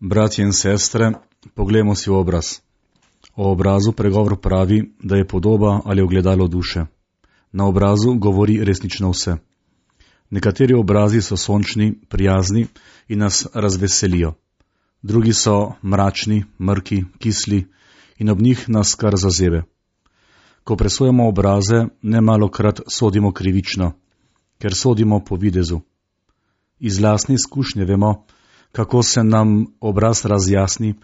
Bratje in sestre, poglejmo si obraz. O obrazu pregovor pravi, da je podoba ali ogledalo duše. Na obrazu govori resnično vse. Nekateri obrazi so sončni, prijazni in nas razveselijo. Drugi so mračni, mrki, kisli in ob njih nas kar zazebe. Ko presojamo obraze, nemalokrat sodimo krivično, ker sodimo po videzu. Iz lastne izkušnje vemo, kako se nam obraz razjasni,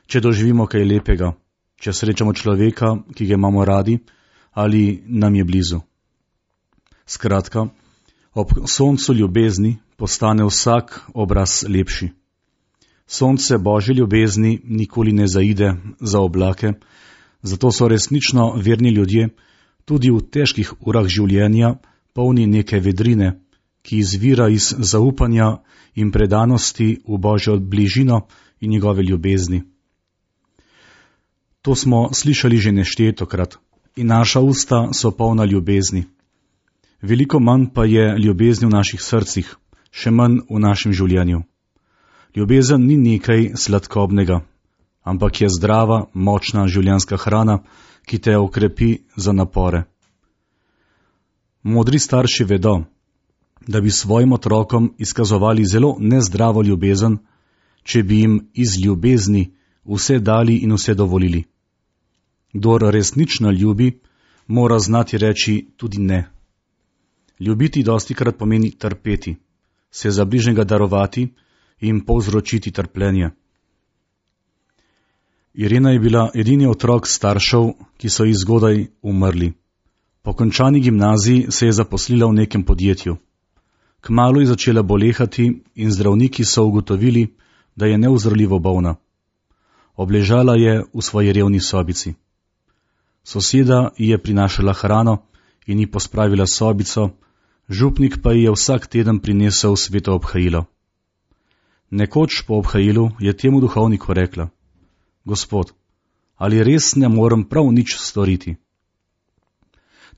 če doživimo kaj lepega, če srečamo človeka, ki ga imamo radi ali nam je blizu. Skratka, ob soncu ljubezni postane vsak obraz lepši. Sonce Božje ljubezni nikoli ne zaide za oblake, zato so resnično verni ljudje tudi v težkih urah življenja polni neke vedrine, ki izvira iz zaupanja in predanosti v Božjo bližino in njegove ljubezni. To smo slišali že neštetokrat in naša usta so polna ljubezni. Veliko manj pa je ljubezni v naših srcih, še manj v našem življenju. Ljubezen ni nekaj sladkobnega, ampak je zdrava, močna življenjska hrana, ki te okrepi za napore. Modri starši vedo, da bi svojim otrokom izkazovali zelo nezdravo ljubezen, če bi jim iz ljubezni vse dali in vse dovolili. Kdor resnično ljubi, mora znati reči tudi ne. Ljubiti dostikrat pomeni trpeti, se za bližnjega darovati in povzročiti trpljenje. Irena je bila edini otrok staršev, ki so ji zgodaj umrli. Po končani gimnaziji se je zaposlila v nekem podjetju. Kmalu je začela bolehati in zdravniki so ugotovili, da je neozdravljivo bolna. Obležala je v svoji revni sobici. Soseda ji je prinašala hrano in ji pospravila sobico, župnik pa ji je vsak teden prinesel sveto obhajilo. Nekoč po obhajilu je temu duhovniku rekla: Gospod, ali res ne morem prav nič storiti?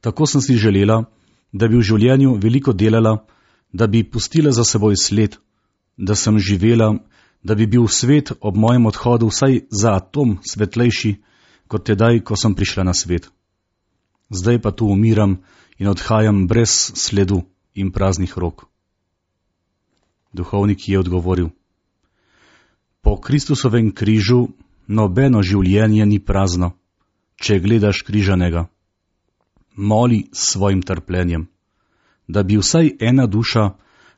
Tako sem si želela, da bi v življenju veliko delala, da bi pustila za seboj sled, da sem živela, da bi bil svet ob mojem odhodu vsaj za atom svetlejši, kot tedaj, ko sem prišla na svet. Zdaj pa tu umiram in odhajam brez sledu in praznih rok. Duhovnik je odgovoril: Po Kristusovem križu nobeno življenje ni prazno, če gledaš križanega. Moli s svojim trpljenjem, da bi vsaj ena duša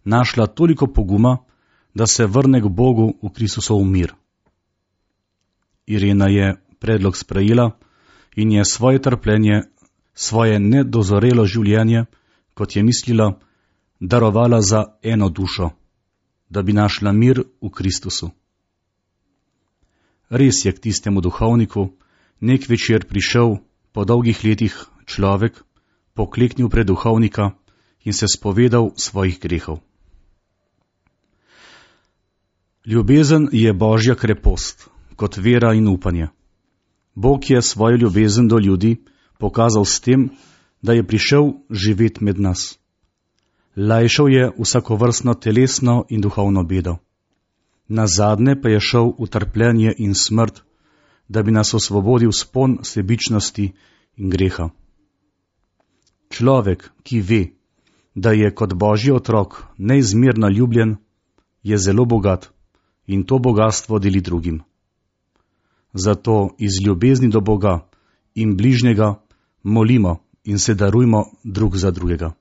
našla toliko poguma, da se vrne k Bogu v Kristusov mir. Irena je predlog sprejela in je svoje trpljenje, svoje nedozorelo življenje, kot je mislila, darovala za eno dušo, da bi našla mir v Kristusu. Res je k tistemu duhovniku nek večer prišel po dolgih letih človek, pokleknil pred duhovnika in se spovedal svojih grehov. Ljubezen je Božja krepost, kot vera in upanje. Bog je svojo ljubezen do ljudi pokazal s tem, da je prišel živeti med nas. Lajšal je vsakovrstno telesno in duhovno bedo. Nazadnje pa je šel v trpljenje in smrt, da bi nas osvobodil spon sebičnosti in greha. Človek, ki ve, da je kot Božji otrok neizmerno ljubljen, je zelo bogat in to bogastvo deli drugim. Zato iz ljubezni do Boga in bližnjega molimo in se darujmo drug za drugega.